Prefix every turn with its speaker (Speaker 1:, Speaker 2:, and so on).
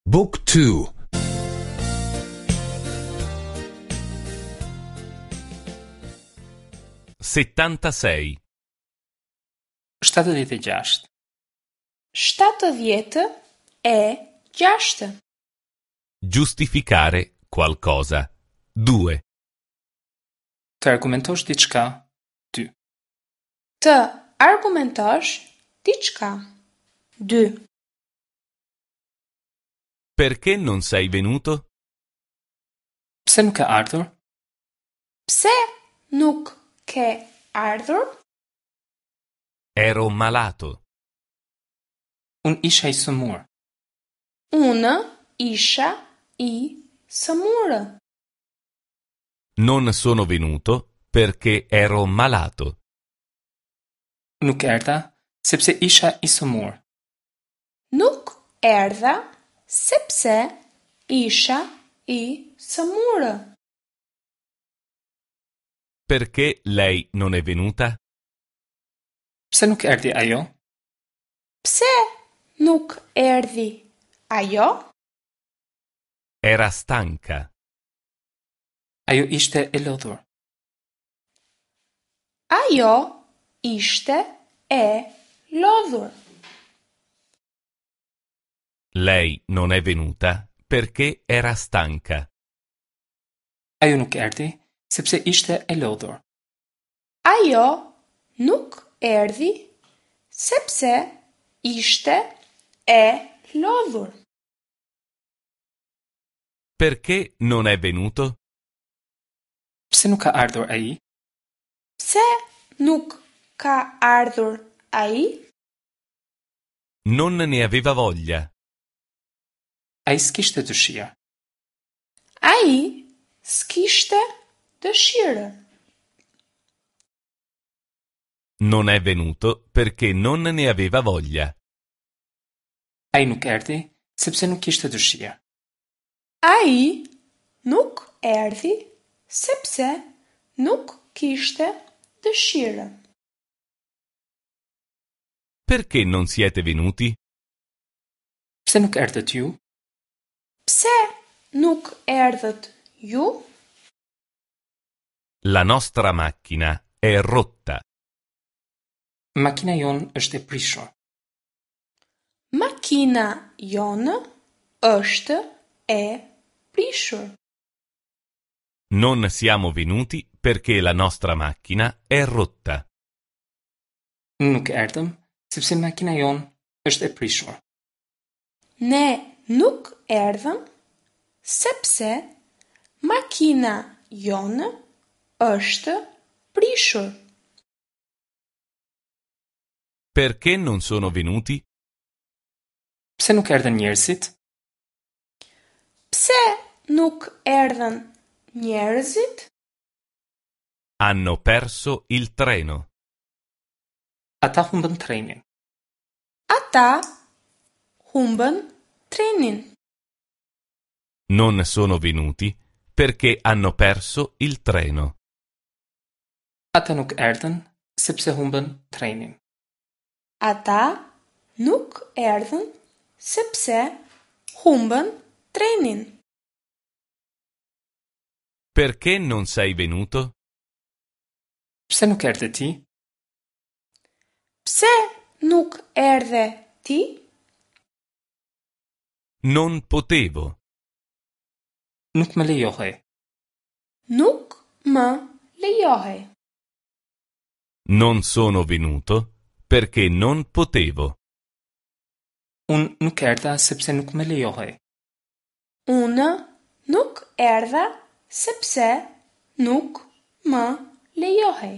Speaker 1: Book 2
Speaker 2: 76.
Speaker 3: 76.
Speaker 4: 76.
Speaker 2: Giustificare qualcosa. 2.
Speaker 3: Të argumentosh diçka, 2.
Speaker 4: Të argumentosh diçka. 2.
Speaker 2: Perché non sei venuto?
Speaker 3: Pse nuk ke ardhur?
Speaker 4: Pse nuk ke ardhur?
Speaker 2: Ero malato.
Speaker 3: Unë isha i sëmurë.
Speaker 4: Unë isha i sëmurë.
Speaker 2: Non sono venuto perché ero malato.
Speaker 3: Nuk erdha sepse isha i sëmurë.
Speaker 4: Nuk erdha sepse isha i sëmurë.
Speaker 2: Perché lei non è venuta?
Speaker 3: Pse nuk erdhi ajo?
Speaker 4: Pse nuk erdhi ajo?
Speaker 2: Era stanca.
Speaker 3: Ajo ishte e lodhur.
Speaker 4: Ajo ishte e lodhur.
Speaker 2: Lei non è venuta perché era stanca.
Speaker 3: Ajo nuk erdhi sepse ishte e lodhur.
Speaker 4: Ajo nuk erdhi sepse ishte e lodhur.
Speaker 2: Perché non è venuto?
Speaker 3: Pse nuk ka ardhur ai?
Speaker 4: Pse nuk ka ardhur ai?
Speaker 2: Non ne aveva voglia.
Speaker 3: Ai s'kishte dëshirë.
Speaker 4: Ai s'kishte dëshirë.
Speaker 2: Non è venuto perché non ne aveva voglia.
Speaker 3: Ai nuk erdhi sepse nuk kishte dëshirë.
Speaker 4: Ai nuk erdhi sepse nuk kishte dëshirë.
Speaker 2: Perché non siete venuti?
Speaker 3: Pse nuk erdhët ju?
Speaker 4: Pse nuk erdhët ju?
Speaker 2: La nostra macchina è rotta.
Speaker 3: Makina jonë është e prishur.
Speaker 4: Makina jonë është e prishur.
Speaker 2: Non siamo venuti perché la nostra macchina è rotta.
Speaker 3: Nuk erdhëm sepse makina jonë është e prishur.
Speaker 4: Ne nuk erdhëm sepse makina jonë është prishur.
Speaker 2: Perché non sono venuti?
Speaker 3: Pse nuk erdhën njerëzit?
Speaker 4: Pse nuk erdhën njerëzit?
Speaker 2: Hanno perso il treno.
Speaker 3: Ata humbën trenin.
Speaker 4: Ata humbën trenin.
Speaker 2: Non sono venuti perché hanno perso il treno.
Speaker 3: Ata nuk erdhën sepse humbën trenin.
Speaker 4: Ata nuk erdhën sepse humbën trenin.
Speaker 2: Perché non sei venuto?
Speaker 3: Pse nuk erdhe ti?
Speaker 4: Pse nuk erdhe ti?
Speaker 2: Non potevo.
Speaker 3: Nuk më lejohej.
Speaker 4: Nuk më lejohej.
Speaker 2: Non sono venuto perché non potevo.
Speaker 3: Unë nuk erdha sepse nuk më lejohej.
Speaker 4: Unë nuk erdha sepse nuk më lejohej.